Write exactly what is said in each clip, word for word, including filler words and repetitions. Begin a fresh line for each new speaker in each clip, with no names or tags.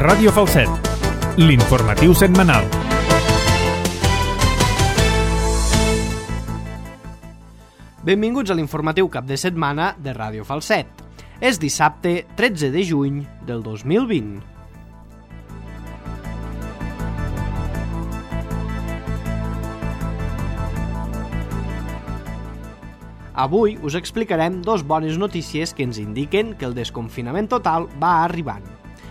Ràdio Falset, l'informatiu setmanal.
Benvinguts a l'informatiu cap de setmana de Ràdio Falset. És dissabte tretze de juny del dos mil vint. Avui us explicarem dos bones notícies que ens indiquen que el desconfinament total va arribant.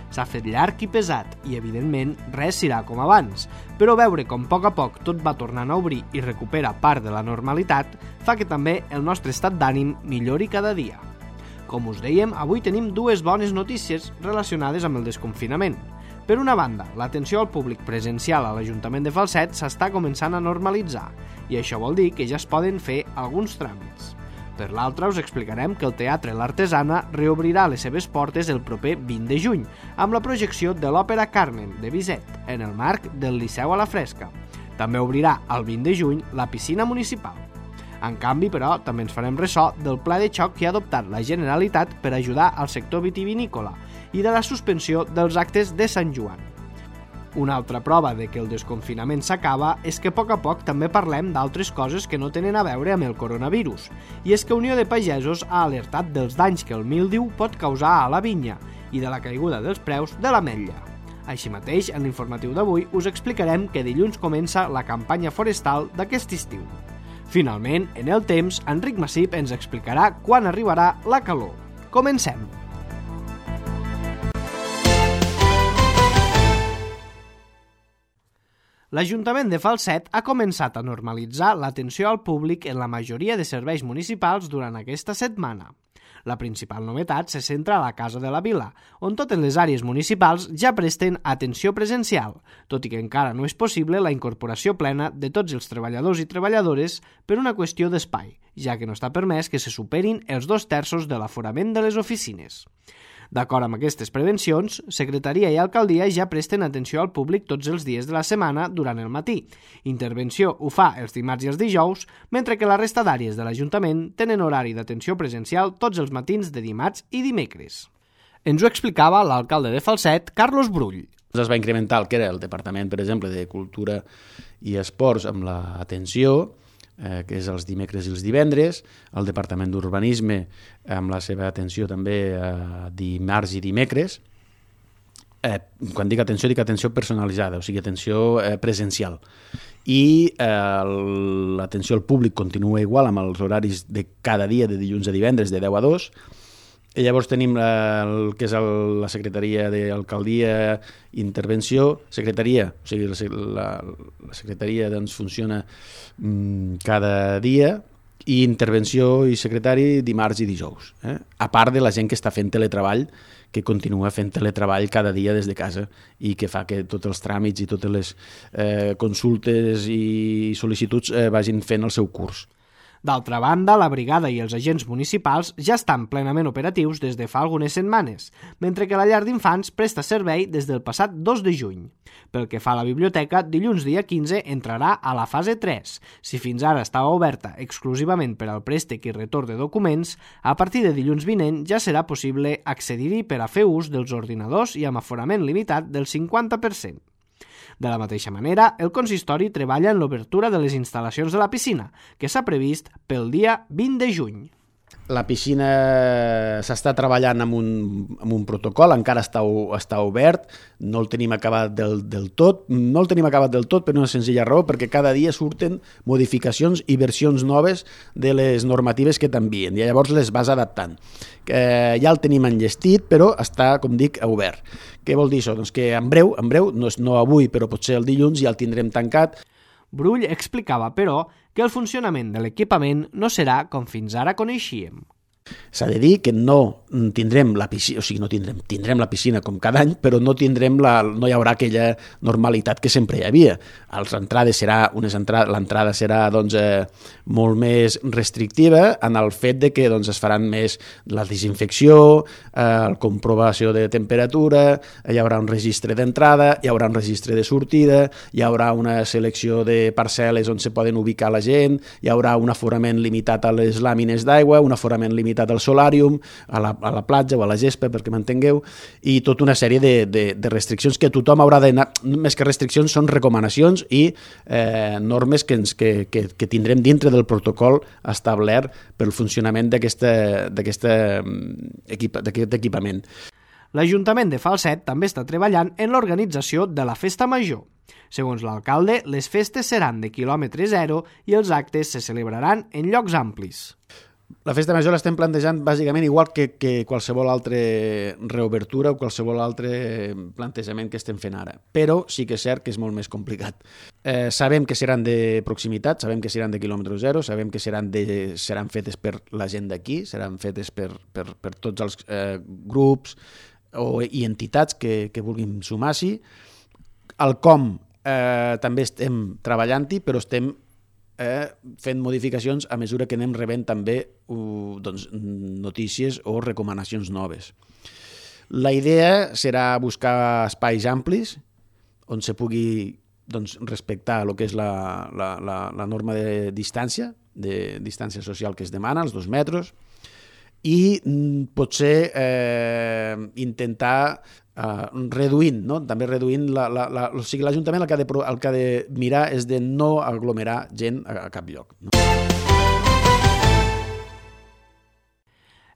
S'ha fet llarg i pesat i, evidentment, res serà com abans, però veure com a poc a poc tot va tornant a obrir i recupera part de la normalitat fa que també el nostre estat d'ànim millori cada dia. Com us dèiem, avui tenim dues bones notícies relacionades amb el desconfinament. Per una banda, l'atenció al públic presencial a l'Ajuntament de Falset s'està començant a normalitzar i això vol dir que ja es poden fer alguns tràmits. Per l'altra, us explicarem que el Teatre L'Artesana reobrirà les seves portes el proper vint de juny amb la projecció de l'òpera Carmen de Bizet en el marc del Liceu a la Fresca. També obrirà el vint de juny la piscina municipal. En canvi, però, també ens farem ressò del pla de xoc que ha adoptat la Generalitat per ajudar al sector vitivinícola i de la suspensió dels actes de Sant Joan. Una altra prova de que el desconfinament s'acaba és que a poc a poc també parlem d'altres coses que no tenen a veure amb el coronavirus, i és que Unió de Pagesos ha alertat dels danys que el míldiu pot causar a la vinya i de la caiguda dels preus de l'ametlla. Així mateix, en l'informatiu d'avui us explicarem que dilluns comença la campanya forestal d'aquest estiu. Finalment, en el temps, Enric Massip ens explicarà quan arribarà la calor. Comencem! L'Ajuntament de Falset ha començat a normalitzar l'atenció al públic en la majoria de serveis municipals durant aquesta setmana. La principal novetat se centra a la Casa de la Vila, on totes les àrees municipals ja presten atenció presencial, tot i que encara no és possible la incorporació plena de tots els treballadors i treballadores per una qüestió d'espai, ja que no està permès que se superin els dos terços de l'aforament de les oficines. D'acord amb aquestes prevencions, Secretaria i Alcaldia ja presten atenció al públic tots els dies de la setmana durant el matí. Intervenció ho fa els dimarts i els dijous, mentre que la resta d'àrees de l'Ajuntament tenen horari d'atenció presencial tots els matins de dimarts i dimecres. Ens ho explicava l'alcalde de Falset, Carlos Brull.
Es va incrementar el que era el Departament, per exemple, de Cultura i Esports amb l'atenció, eh, que és els dimecres i els divendres, el Departament d'Urbanisme amb la seva atenció també eh, dimarts i dimecres. Eh, quan dic atenció, dic atenció personalitzada, o sigui, atenció eh, presencial. I eh, l'atenció al públic continua igual amb els horaris de cada dia, de dilluns a divendres, de deu a dos. I llavors tenim la, el que és el, la Secretaria d'Alcaldia, Intervenció, Secretaria, o sigui, la, la Secretaria doncs, funciona mm, cada dia, i Intervenció i Secretari dimarts i dijous. Eh? A part de la gent que està fent teletreball, que continua fent teletreball cada dia des de casa i que fa que tots els tràmits i totes les eh, consultes i sol·licituds eh, vagin fent el seu curs.
D'altra banda, la brigada i els agents municipals ja estan plenament operatius des de fa algunes setmanes, mentre que la llar d'infants presta servei des del passat dos de juny. Pel que fa a la biblioteca, dilluns dia quinze entrarà a la fase tres. Si fins ara estava oberta exclusivament per al préstec i retorn de documents, a partir de dilluns vinent ja serà possible accedir-hi per a fer ús dels ordinadors i amb aforament limitat del cinquanta per cent. De la mateixa manera, el consistori treballa en l'obertura de les instal·lacions de la piscina, que s'ha previst pel dia vint de juny.
La piscina s'està treballant amb un, amb un protocol, encara està, està obert, no el tenim acabat del, del tot, no el tenim acabat del tot per una senzilla raó, perquè cada dia surten modificacions i versions noves de les normatives que t'envien, i llavors les vas adaptant. Eh, ja el tenim enllestit, però està, com dic, obert. Què vol dir això? Doncs que en breu, en breu, no, no avui, però potser el dilluns ja el tindrem tancat.
Brull explicava, però, que el funcionament de l'equipament no serà com fins ara coneixíem.
S'ha de dir que no tindrem la piscina, o sigui, no tindrem, tindrem la piscina com cada any, però no tindrem la, no hi haurà aquella normalitat que sempre hi havia. Les entrades serà, unes entrades, l'entrada serà doncs, eh, molt més restrictiva en el fet de que doncs, es faran més la desinfecció, eh, la comprovació de temperatura, hi haurà un registre d'entrada, hi haurà un registre de sortida, hi haurà una selecció de parcel·les on se poden ubicar la gent, hi haurà un aforament limitat a les làmines d'aigua, un aforament limitat als al solàrium, a la, a la platja o a la gespa, perquè m'entengueu, i tota una sèrie de, de, de restriccions que tothom haurà d'anar, més que restriccions, són recomanacions i eh, normes que, ens, que, que, que tindrem dintre del protocol establert pel funcionament d'aquest equip, equipament.
L'Ajuntament de Falset també està treballant en l'organització de la Festa Major. Segons l'alcalde, les festes seran de quilòmetre zero i els actes se celebraran en llocs amplis.
La Festa Major l'estem plantejant bàsicament igual que, que qualsevol altra reobertura o qualsevol altre plantejament que estem fent ara. Però sí que és cert que és molt més complicat. Eh, sabem que seran de proximitat, sabem que seran de quilòmetre zero, sabem que seran, de, seran fetes per la gent d'aquí, seran fetes per, per, per tots els eh, grups o, i entitats que, que vulguin sumar-s'hi. El com eh, també estem treballant-hi, però estem eh, fent modificacions a mesura que anem rebent també uh, doncs, notícies o recomanacions noves. La idea serà buscar espais amplis on se pugui doncs, respectar el que és la, la, la, la norma de distància, de distància social que es demana, els dos metres, i mm, potser eh, intentar Uh, reduint, no? també reduint la, la, la, o sigui, l'Ajuntament el, que ha de, el que ha de mirar és de no aglomerar gent a, a cap lloc. No?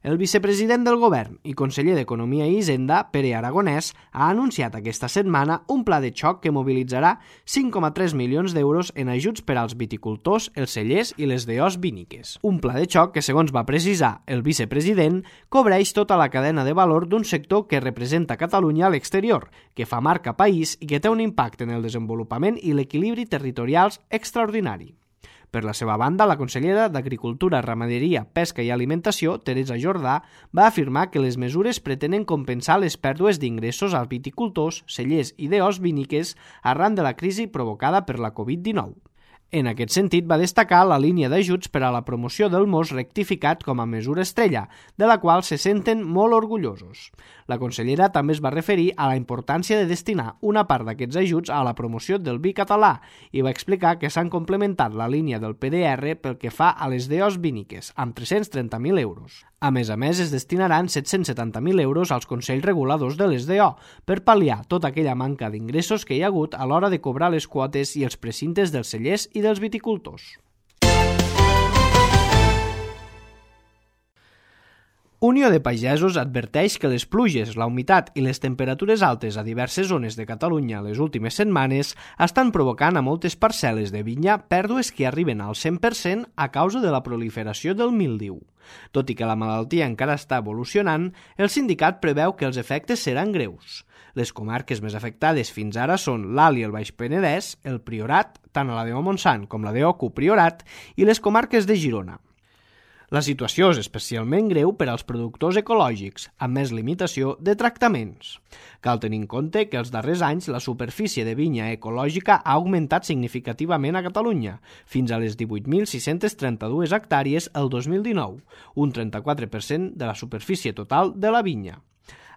El vicepresident del Govern i conseller d'Economia i Hisenda, Pere Aragonès, ha anunciat aquesta setmana un pla de xoc que mobilitzarà cinc coma tres milions d'euros en ajuts per als viticultors, els cellers i les deós víniques. Un pla de xoc que, segons va precisar el vicepresident, cobreix tota la cadena de valor d'un sector que representa Catalunya a l'exterior, que fa marca país i que té un impacte en el desenvolupament i l'equilibri territorials extraordinari. Per la seva banda, la consellera d'Agricultura, Ramaderia, Pesca i Alimentació, Teresa Jordà, va afirmar que les mesures pretenen compensar les pèrdues d'ingressos als viticultors, cellers i deós víniques arran de la crisi provocada per la covid dinou. En aquest sentit, va destacar la línia d'ajuts per a la promoció del mos rectificat com a mesura estrella, de la qual se senten molt orgullosos. La consellera també es va referir a la importància de destinar una part d'aquests ajuts a la promoció del vi català i va explicar que s'han complementat la línia del P D R pel que fa a les deós víniques, amb tres-cents trenta mil euros. A més a més, es destinaran set-cents setanta mil euros als consells reguladors de les D O per pal·liar tota aquella manca d'ingressos que hi ha hagut a l'hora de cobrar les quotes i els precintes dels cellers i dels viticultors. Unió de Pagesos adverteix que les pluges, la humitat i les temperatures altes a diverses zones de Catalunya les últimes setmanes estan provocant a moltes parcel·les de vinya pèrdues que arriben al cent per cent a causa de la proliferació del míldiu. Tot i que la malaltia encara està evolucionant, el sindicat preveu que els efectes seran greus. Les comarques més afectades fins ara són l'Alt i el Baix Penedès, el Priorat, tant a la D O Montsant com la D O Priorat, i les comarques de Girona. La situació és especialment greu per als productors ecològics, amb més limitació de tractaments. Cal tenir en compte que els darrers anys la superfície de vinya ecològica ha augmentat significativament a Catalunya, fins a les divuit mil sis-cents trenta-dues hectàrees el dos mil dinou, un trenta-quatre per cent de la superfície total de la vinya.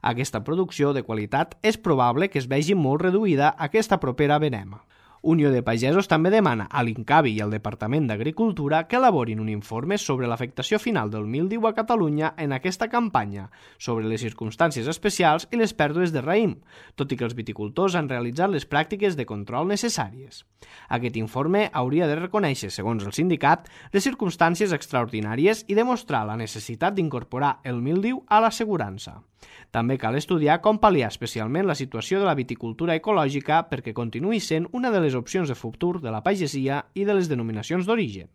Aquesta producció de qualitat és probable que es vegi molt reduïda aquesta propera verema. Unió de Pagesos també demana a l'Incavi i al Departament d'Agricultura que elaborin un informe sobre l'afectació final del míldiu a Catalunya en aquesta campanya, sobre les circumstàncies especials i les pèrdues de raïm, tot i que els viticultors han realitzat les pràctiques de control necessàries. Aquest informe hauria de reconèixer, segons el sindicat, les circumstàncies extraordinàries i demostrar la necessitat d'incorporar el míldiu a l'assegurança. També cal estudiar com pal·liar especialment la situació de la viticultura ecològica perquè continuï sent una de les opcions de futur de la pagesia i de les denominacions d'origen.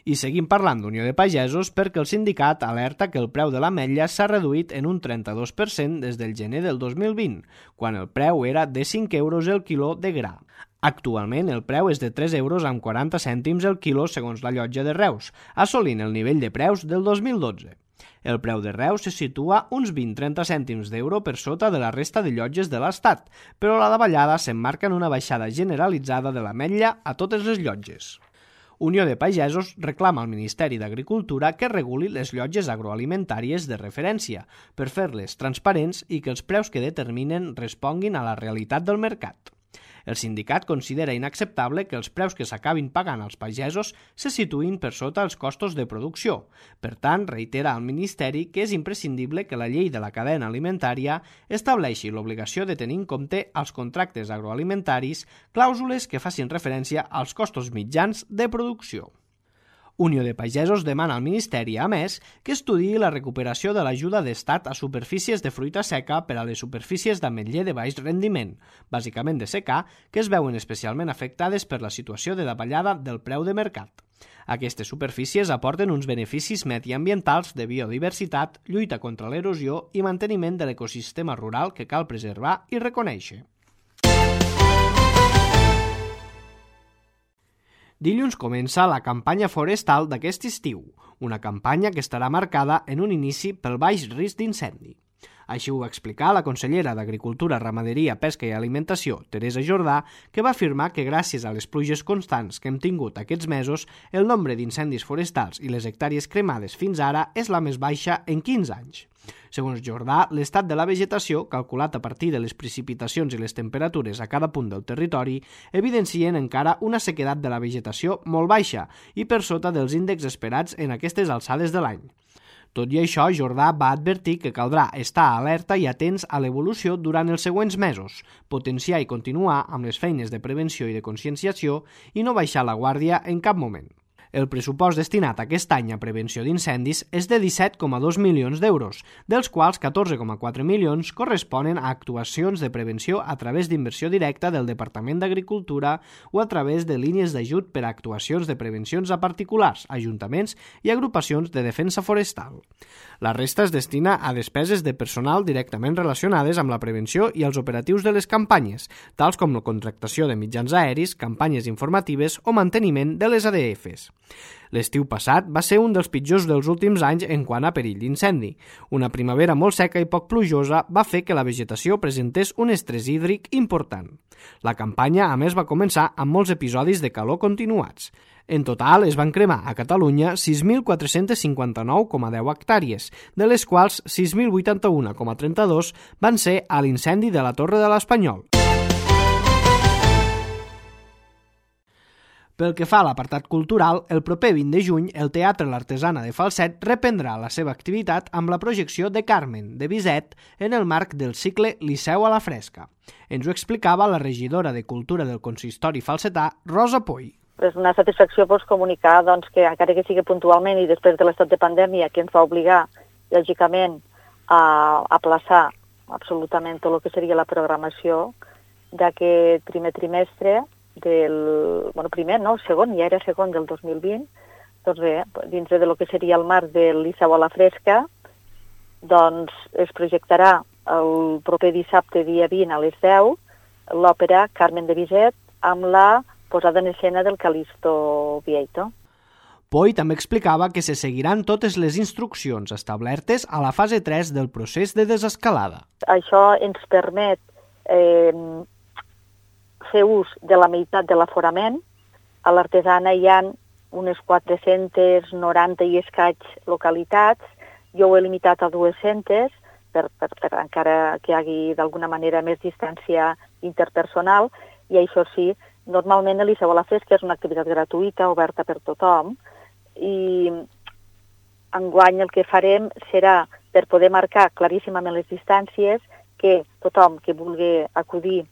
I seguim parlant d'Unió de Pagesos perquè el sindicat alerta que el preu de l'ametlla s'ha reduït en un trenta-dos per cent des del gener del dos mil vint, quan el preu era de cinc euros el quiló de gra. Actualment el preu és de tres euros amb quaranta cèntims el quilo segons la llotja de Reus, assolint el nivell de preus del dos mil dotze. El preu de Reus se situa uns vint-trenta cèntims d'euro per sota de la resta de llotges de l'Estat, però la davallada s'emmarca en una baixada generalitzada de l'ametlla a totes les llotges. Unió de Pagesos reclama al Ministeri d'Agricultura que reguli les llotges agroalimentàries de referència per fer-les transparents i que els preus que determinen responguin a la realitat del mercat. El sindicat considera inacceptable que els preus que s'acabin pagant als pagesos se situïn per sota els costos de producció. Per tant, reitera al Ministeri que és imprescindible que la llei de la cadena alimentària estableixi l'obligació de tenir en compte als contractes agroalimentaris clàusules que facin referència als costos mitjans de producció. Unió de Pagesos demana al Ministeri, a més, que estudiï la recuperació de l'ajuda d'estat a superfícies de fruita seca per a les superfícies d'ametller de baix rendiment, bàsicament de secà, que es veuen especialment afectades per la situació de davallada del preu de mercat. Aquestes superfícies aporten uns beneficis mediambientals de biodiversitat, lluita contra l'erosió i manteniment de l'ecosistema rural que cal preservar i reconèixer. Dilluns comença la campanya forestal d'aquest estiu, una campanya que estarà marcada en un inici pel baix risc d'incendi. Així ho va explicar la consellera d'Agricultura, Ramaderia, Pesca i Alimentació, Teresa Jordà, que va afirmar que gràcies a les pluges constants que hem tingut aquests mesos, el nombre d'incendis forestals i les hectàrees cremades fins ara és la més baixa en quinze anys. Segons Jordà, l'estat de la vegetació, calculat a partir de les precipitacions i les temperatures a cada punt del territori, evidencien encara una sequedat de la vegetació molt baixa i per sota dels índexs esperats en aquestes alçades de l'any. Tot i això, Jordà va advertir que caldrà estar alerta i atents a l'evolució durant els següents mesos, potenciar i continuar amb les feines de prevenció i de conscienciació i no baixar la guàrdia en cap moment. El pressupost destinat aquest any a prevenció d'incendis és de disset coma dos milions d'euros, dels quals catorze coma quatre milions corresponen a actuacions de prevenció a través d'inversió directa del Departament d'Agricultura o a través de línies d'ajut per a actuacions de prevencions a particulars, ajuntaments i agrupacions de defensa forestal. La resta es destina a despeses de personal directament relacionades amb la prevenció i els operatius de les campanyes, tals com la contractació de mitjans aeris, campanyes informatives o manteniment de les A D Fs. L'estiu passat va ser un dels pitjors dels últims anys en quant a perill d'incendi. Una primavera molt seca i poc plujosa va fer que la vegetació presentés un estrès hídric important. La campanya, a més, va començar amb molts episodis de calor continuats. En total, es van cremar a Catalunya sis mil quatre-cents cinquanta-nou coma deu hectàrees, de les quals sis mil vuitanta-u coma trenta-dos van ser a l'incendi de la Torre de l'Espanyol. Pel que fa a l'apartat cultural, el proper vint de juny el Teatre L'Artesana de Falset reprendrà la seva activitat amb la projecció de Carmen, de Bizet, en el marc del cicle Liceu a la Fresca. Ens ho explicava la regidora de Cultura del Consistori falsetà, Rosa Poy.
És una satisfacció pues, comunicar doncs, que encara que sigui puntualment i després de l'estat de pandèmia que ens va obligar, lògicament, a aplaçar absolutament tot el que seria la programació d'aquest primer trimestre, del, bueno, primer, no, segon, ja era segon del dos mil vint, doncs bé, dins de lo que seria el marc del Liceu a la Fresca, doncs es projectarà el proper dissabte, dia vint, a les deu, l'òpera Carmen de Bizet amb la posada en escena del Calisto Vieito.
Poy també explicava que se seguiran totes les instruccions establertes a la fase tres del procés de desescalada.
Això ens permet eh, fer ús de la meitat de l'aforament. A l'Artesana hi ha unes quatre-centes noranta i escaig localitats. Jo ho he limitat a dues-centes per, per, per encara que hi hagi d'alguna manera més distància interpersonal. I això sí, normalment el Liceu a la Fresca és una activitat gratuïta, oberta per tothom. I enguany el que farem serà, per poder marcar claríssimament les distàncies, que tothom que vulgui acudir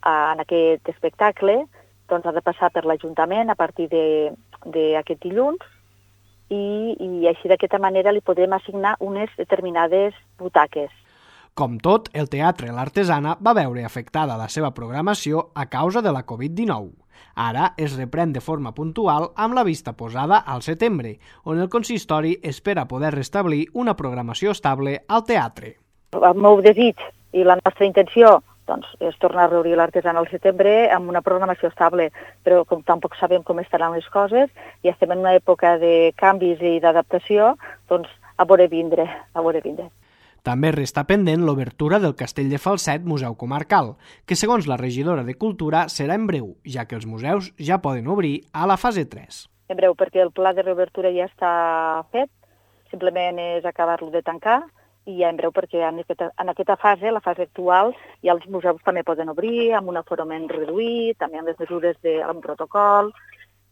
en aquest espectacle doncs ha de passar per l'Ajuntament a partir d'aquest dilluns i, i així d'aquesta manera li podem assignar unes determinades butaques.
Com tot, el Teatre L'Artesana va veure afectada la seva programació a causa de la covid dinou. Ara es reprèn de forma puntual amb la vista posada al setembre, on el consistori espera poder restablir una programació estable al teatre.
El meu desig i la nostra intenció doncs, és tornar a reobrir l'Artesana al setembre amb una programació estable, però com tampoc sabem com estaran les coses i estem en una època de canvis i d'adaptació, doncs a veure vindre, a veure vindre.
També resta pendent l'obertura del Castell de Falset Museu Comarcal, que segons la regidora de Cultura serà en breu, ja que els museus ja poden obrir a la fase tres.
En breu, perquè el pla de reobertura ja està fet, simplement és acabar-lo de tancar i ja en breu, perquè en aquesta, en aquesta fase, la fase actual, ja els museus també poden obrir amb un aforament reduït, també amb les mesures de, amb protocol,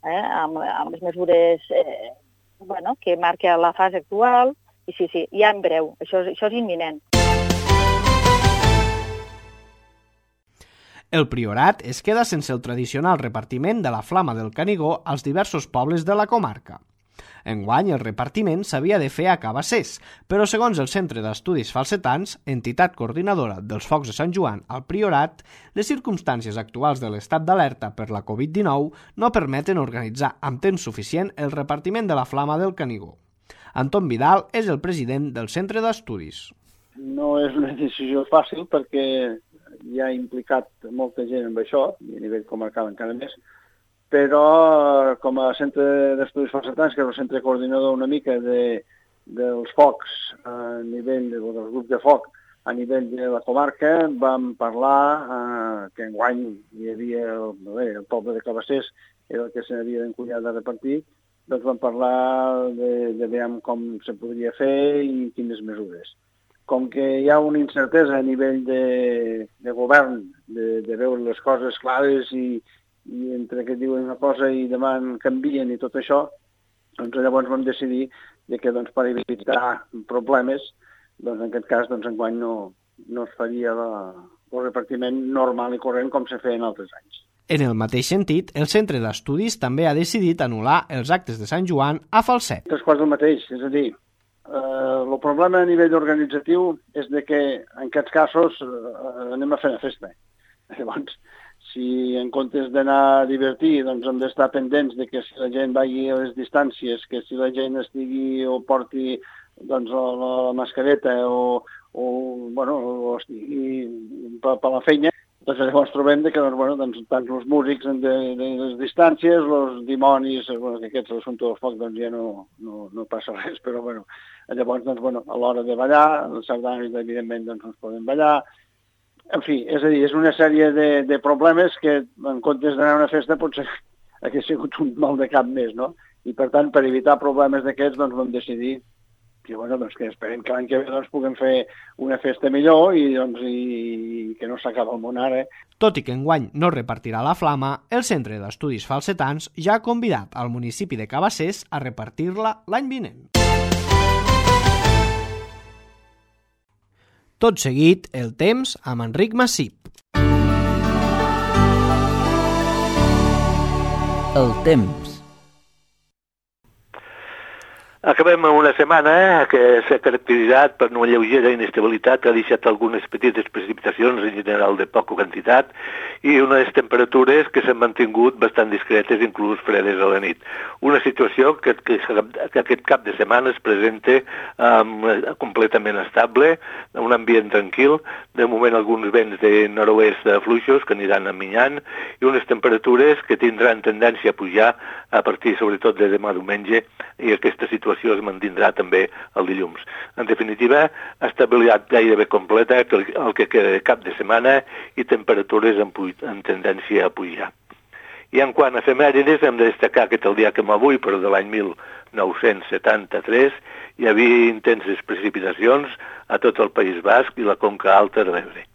eh, amb, amb les mesures eh, bueno, que marca la fase actual, i sí, sí, ja en breu, això, això és imminent.
El Priorat es queda sense el tradicional repartiment de la Flama del Canigó als diversos pobles de la comarca. Enguany, el repartiment s'havia de fer a Cabassers, però segons el Centre d'Estudis Falsetans, entitat coordinadora dels Focs de Sant Joan al Priorat, les circumstàncies actuals de l'estat d'alerta per la covid dinou no permeten organitzar amb temps suficient el repartiment de la Flama del Canigó. Anton Vidal és el president del Centre d'Estudis.
No és una decisió fàcil perquè hi ha implicat molta gent amb això, i a nivell comarcal encara més, però com a Centre d'Estudis Falsetans, que és el centre coordinador una mica de, dels focs a nivell de, del grup de foc a nivell de la comarca, vam parlar eh, que enguany hi havia el, bé, el poble de Cabassers, era el que s'havia d'encunyar de repartir, doncs vam parlar de, de veure com se podria fer i quines mesures. Com que hi ha una incertesa a nivell de, de govern, de, de veure les coses clares i, i entre que diuen una cosa i demà en canvien i tot això, doncs llavors vam decidir de que doncs, per evitar problemes, doncs en aquest cas doncs, enguany no, no es faria la, el repartiment normal i corrent com se feia en altres anys.
En el mateix sentit, el Centre d'Estudis també ha decidit anul·lar els actes de Sant Joan a Falset.
Tres quarts del mateix, és a dir, Uh, el problema a nivell organitzatiu és de que en aquests casos uh, anem a fer una festa. Llavors, si en comptes d'anar a divertir, doncs hem d'estar pendents de que si la gent vagi a les distàncies, que si la gent estigui o porti doncs, la, la mascareta o, o, bueno, o estigui per, per la feina, doncs llavors trobem que doncs, bueno, doncs, tant els músics de, de les distàncies, els dimonis, bueno, que aquests l'assumpte del foc doncs, ja no, no, no passa res, però bueno, llavors doncs, bueno, a l'hora de ballar, els sardanis evidentment doncs, no es poden ballar. En fi, és a dir, és una sèrie de, de problemes que en comptes d'anar a una festa potser hauria sigut un mal de cap més, no? I per tant, per evitar problemes d'aquests, doncs vam decidir que, bueno, doncs, que esperem que l'any que ve doncs, puguem fer una festa millor i, doncs, i que no s'acaba el món ara.
Tot i que enguany no repartirà la flama, el Centre d'Estudis Falsetans ja ha convidat al municipi de Cabassers a repartir-la l'any vinent. Tot seguit, el temps amb Enric Massip.
El temps.
Acabem amb una setmana que s'ha caracteritzat per una lleugera inestabilitat que ha deixat algunes petites precipitacions, en general de poca quantitat, i unes temperatures que s'han mantingut bastant discretes, inclús fredes a la nit. Una situació que, que, que aquest cap de setmana es presenta um, completament estable, un ambient tranquil, de moment alguns vents de nord-oest fluixos que aniran aminyant, i unes temperatures que tindran tendència a pujar a partir sobretot de demà diumenge, i aquesta situació es mantindrà també el dilluns. En definitiva, estabilitat gairebé completa el que queda de cap de setmana i temperatures en, en tendència a pujar. I en quant a efemèrides, hem de destacar que el dia com avui, però de l'any mil nou-cents setanta-tres, hi havia intenses precipitacions a tot el País Basc i la Conca Alta de l'Ebre.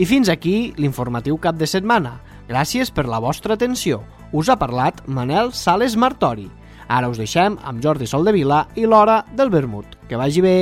I fins aquí l'informatiu cap de setmana. Gràcies per la vostra atenció. Us ha parlat Manel Sales Martori. Ara us deixem amb Jordi Soldevila i l'Hora del Vermut. Que vagi bé!